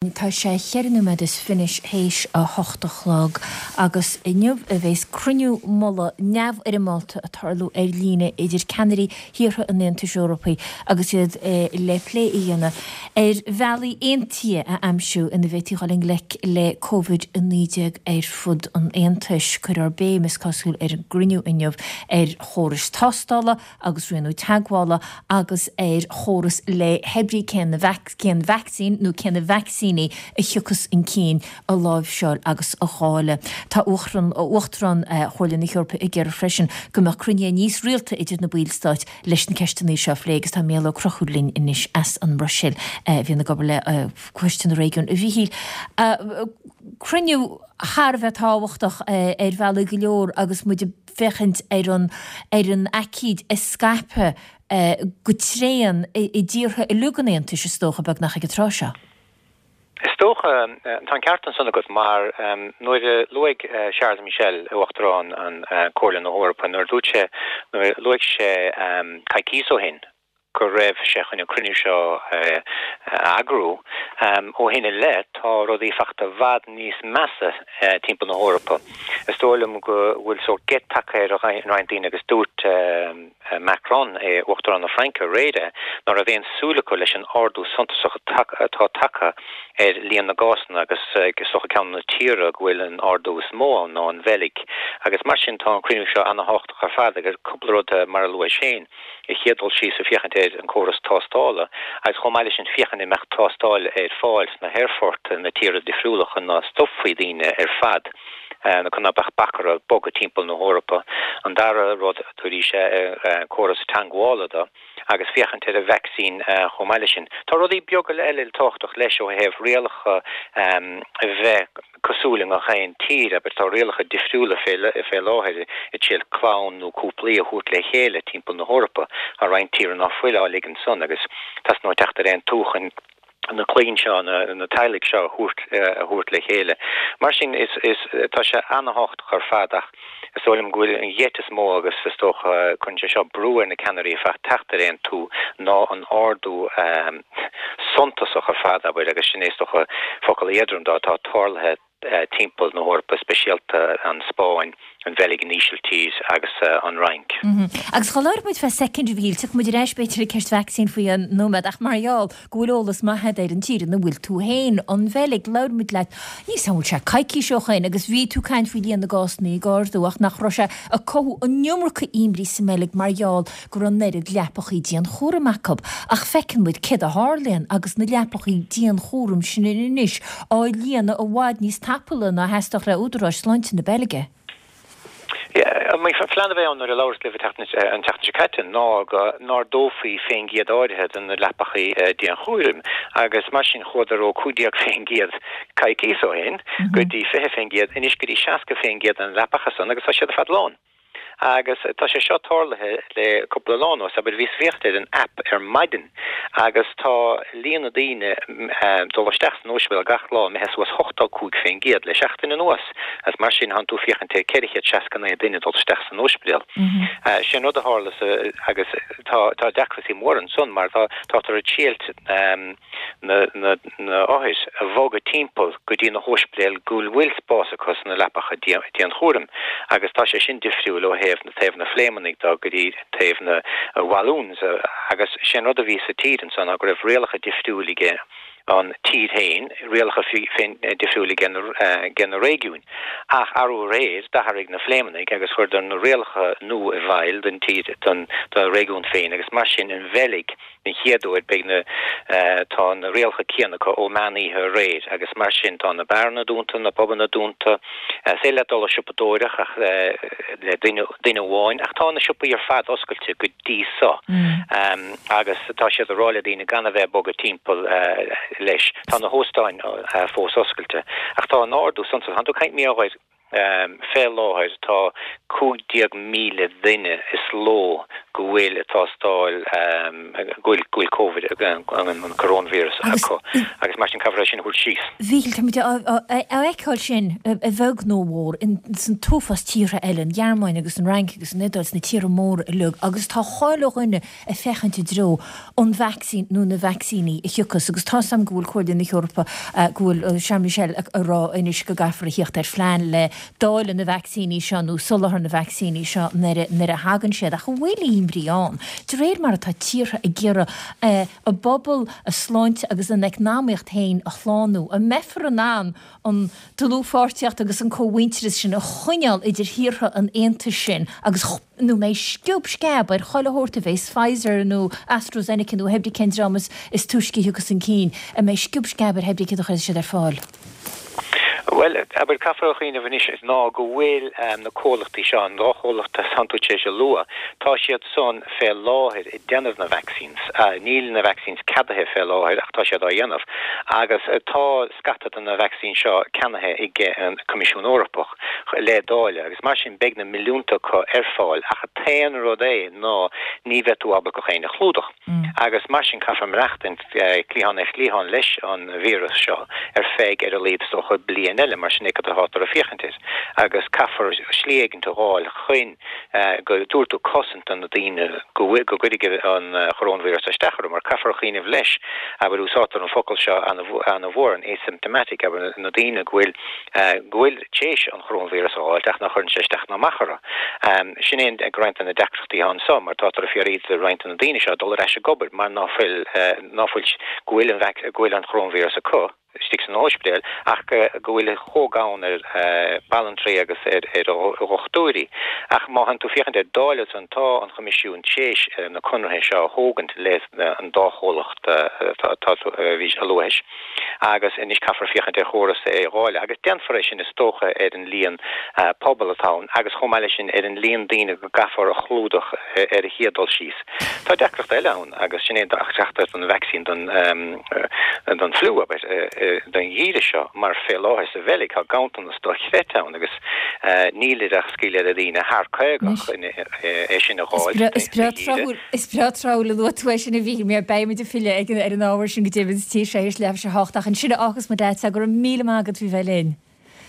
Tá sé cheithre nóiméad is fiche théis a hocht a chlog agus inniu a bheas cruinniú mullaigh neamhfhoirmeálta ag tarlú ar líne idir ceannairí thíortha an Aontais Eorpaigh agus iad le plé a dhéanamh ar bhealaí aontaithe a aimsiú ina bhféadfaí dhul i ngleic le Covid-19 ar fud an Aontais. Cuirfear béim, is cosúil, ar an gcruinniú inniu ar chórais tástála, agus rianú teagmhála agus ar chóras le hebrí cén cén vacsaín nó cé na vacsaíní a thiocfas chun cinn a láimhseáil agus a dháileadh. Tá Uachtarán Chomhairle na hEorpa ag iarraidh freisin go mbeadh cruinnithe níos rialta idir na ballstáit leis na ceisteanna seo a phlé agus tá Mícheál Ó Conchúir linn anois as an mBruiséil a bhíonn ag obair le Coiste na Réigiún. A Mhíchíl, cruinniú thar a bheith tábhachtach ar bhealaí go leor agus muid ag féachaint ar an ar an aicíd ag scaipeadh go tréan i dtíortha uilig an Aontais, is dócha, beagnach ag an tráth seo. Is dócha, tá an ceart ansan agat, mar nuair a luaigh Charles Michel, Uachtarán an Comhairle na hEorpa, nuair a dúirt sé, nuair a luaigh sé coicíos ó shin, go raibh sé chun an cruinniú seo a eagrú. Ó shin i leith, tá rudaí fachta i bhfad níos measa timpeall na hEorpa. Is dóigh liom go bhfuil sórt geit tagtha ar roinnt daoine agus dúirt Macron, Uachtarán na Fraince, aréir é, ná raibh aon súil acu leis an ardú suntasach atá tagtha ar líon na gcásanna agus is dócha ceann de na tíortha go bhfuil an ardú is mó ann ná an Bheilg. Agus mar sin tá an cruinniú seo ana-thábhachtach ar fad agus cúpla rud mar a luais féin. Ar chéad dul síos ag féachaint ar an córas tástála agus chomh maith leis sin féachaint an mbeadh tástáil ar fáil sna haerfoirt na tíortha difriúla chun ná stopfaí daoine ar fad nó chun ná beadh bac orthu bogadh timpeall na hEorpa. An dara rud arís córas teangmhála do agus féachaint ar an vacsaín chomh maith leis sin. Tá rudaí beaga eile tábhachtach leis ó thaobh rialacha a bheith cosúil i ngach aon tír, abair, tá rialacha difriúla fé láthair ag triail clann nó cúplaí a thabhairt le chéile timpeall na hEorpa. Tá roinnt tíortha ná fuil á ligean san agus teastaíonn teacht ar aontú chun na clainn seo, na teaghlaigh seo a thabhairt a thabhairt le chéile. Mar sin is is tá sé ana-thábhachtach ar fad ach is dóigh liom go bhfuil an gheit is mó agus is dócha cuireann sé seo brú ar na ceannairí ar fad teacht ar aontú ná an ardú suntasach ar fad, abair, agus sin é is dócha focal éadrom dó, atá tarlaithe timpeall na hEorpa, speisialta an Spáinn, an Bheilg, an Ísiltír agus an Fhrainc. Agus dhá labhróidh muid fé soicind, a Mhíchíl, tiocfaidh muid ar ais b'fhéidir ag ceist vacsaín faoi nóiméad, ach mar gheall go bhfuil eolas maith agat ar an tír ina bhfuil tú féin, an Bheilg, labhair muid leat, níl 's a'm an bhfuil sé coicís ó shoin agus bhí tú ag caint faoi líon na gcásanna ag ardú ach nach raibh sé ag cothú an iomarca imní sa mBeilg mar gheall go raibh an oiread leapachaí dianchúraim acu. Ach feiceann muid céard a tharlaíonn agus na leapachaí dianchúraim sin anois á líonadh i bhfad níos tapúla ná a theastódh le údaráis sláinte na Beilge. An plean a bhí ann nuair a labhras libh an tseachtain seo caite ná go n-ardófaí fén gcéad áirithe de na leapachaí dianchúraim agus mar sin chuadar ó 15% coicíos ó shin go dtí 20% anois go dtí 60% de na leapacha san agus tá siad ar fad lán. Agus tá sé seo tarlaithe le cúpla lá anuas, abair, bhíos ag féachaint ar an app ar maidin agus tá líon na daoine ag dul isteach san ospidéal gach lá imithe suas 85% le seachtain anuas agus mar sin thánn tú ag féachaint ar 469 duine ag dul isteach san ospidéal. Sé an rud a tharla agus tá tá deacrachtaí móra ansan mar tá táthar ag triailt na na othair a bhogadh timpeall go dtí na hóispidéil go bhfuil spás acu sna leapacha dianchúraim agus tá sé sin difriúil ó thaobh na taobh na Fléimeannaigh de go dtí taobh na Walloons agus sé an rud a bhí sa tír ansan ná go raibh rialacha difriúil age an tír féin, rialacha féin difriúil age age na réigiúin. Ach arú aréir d'athraigh na Fléimeannaigh agus chuireadar na rialacha nua i bhfeighil don tír don do réigiún féin agus mar sin an Bheilg Den chéad uair beidh na tá na rialacha céanna acu ó meán oíche aréir agus mar sin tá na beáranna dúnta, na pubanna dúnta. Is féidir leat dul ag siopadóireacht ach le duine duine amháin ach tá na siopaí ar fad oscailte go dtí so agus tá siad ag rá le daoine gan a bheith ag bogadh timpeall leis. Tá na hóstáin fós oscailte ach tá an ardú suntasach. Tá tú ag caint mí Fé láthair tá 15,000 duine is ló go bhfuil tástáil, go bhfuil, go bhfuil Covid, an coróinvíreas acu agus mar sin caithfear é sin a thabhairt síos. A Mhíchíl, táimid á fheiceáil sin, a bheag nó a mhór, san t-uafás tíortha eile, an Ghearmáin agus an Fhrainc agus an Iodáil, sna tíortha móra uilig agus tá chuile dhuine ag féachaint i dtreo an vacsaín nó na vacsaíní a thiocfas agus tá's a'm go bhfuil Comhairle na hEorpa, go bhfuil Charles Michel ag rá anois go gcaithfear a thíocht ar phlean le dáileadh na vacsaíní seo nó soláthar na vacsaíní seo nuair a thagann siad. Ach an bhfuil imní ann, de réir mar atá tíortha ag iarraidh a bpobal, a sláinte agus a n-eacnamaíocht féin a shlánú, an mbeifear in ann an dlúthpháirtíocht agus an cómhuintearas sin a choinneáil idir thíortha an Aontais sin agus nó an mbeidh sciob sceab ar chuile shórt a bheas Pfizer nó AstraZeneca nó hebrí cén dream is túisce a thiocfas chun cinn, an mbeidh sciob sceab ar hebrí céard a chuirfidh siad ar fáil? Bhuel, abair, caithfear a chuimhneamh anois ná go bhfuil na comhlachtaí seo, an dá chomhlacht atá tú tar éis a lua, tá siad san fé láthair ag déanamh na vaccines. Níl na vaccines ceadaithe fé láthair ach tá siad á dhéanamh agus tá scata de na vaccines seo ceannaithe ag an Coimisiún Eorpach le dáileadh agus mar sin beidh na milliúnta acu ar fáil ach an t-aon rud é ná ní bheidh tú ábalta gach éinne a chlúdach. Agus mar sin caithfear maireachtaint cliathán ar chliathán leis an víreas seo ar feadh ar a laghad is dócha bliain eile, mar sin é cad atáthar ag féachaint air. Agus caithfear slí éigint a dh'fháil chun go dtabharfaidh tú cosaint do na daoine go bhfuil, go gcuirfidh an choróinvíreas isteach orthu, mar caithfear a chuimhneamh leis, abair, úsáidtear an focal seo ana-mhór, an asymptomatic, abair, na daoine go bhfuil, go bhfuil téis an choróinvíreas a dh'fháilt ach nach chuireann sé isteach ná amach orthu. Sin é roinnt de na deacrachtaí atá anso mar tátar ag fiafraí de roinnt de na daoine seo dul ar ais ag obair mar ná fuil, ná fuil, go bhfuil an go bhfuil an choróinvíreas acu istigh san óispidéal ach go bhfuil chomh gann ar bhanaltraí agus ar dhochtúirí. Ach má théann tú féachaint ar dáileadh san tá an Choimisiún téis na conarthaí seo a thógaint le an dá chomhlacht atá tú a bhí a luaigh. Agus anois caithfear féachaint ar chóras é a dháileadh, agus déanfar é sin is dócha ar an líon pobal atá ann agus chomh maith leis sin ar an líon daoine go gcaithfear a chlúdach ar an chéad dul síos. Tá deacracht eile ann agus sin é an deacracht don vacsaín don don fliú, abair, don gheimhreadh seo mar fé láthair sa Bheilg tá ganntanas dochreidte ann agus níl ach scaoileadh le daoine thar 50 chun é sin a dh'fháil don gheimhreadh. Is breá tráthúil a luaigh tú é sin a Mhíchíl, mar beidh muid ag filleadh ar an ábhar sin go deimhin sa tír seo théis leathuair tar éis a hocht ach ansin a fhágfas muid leat, go raibh míle maith agat faoi bheith linn.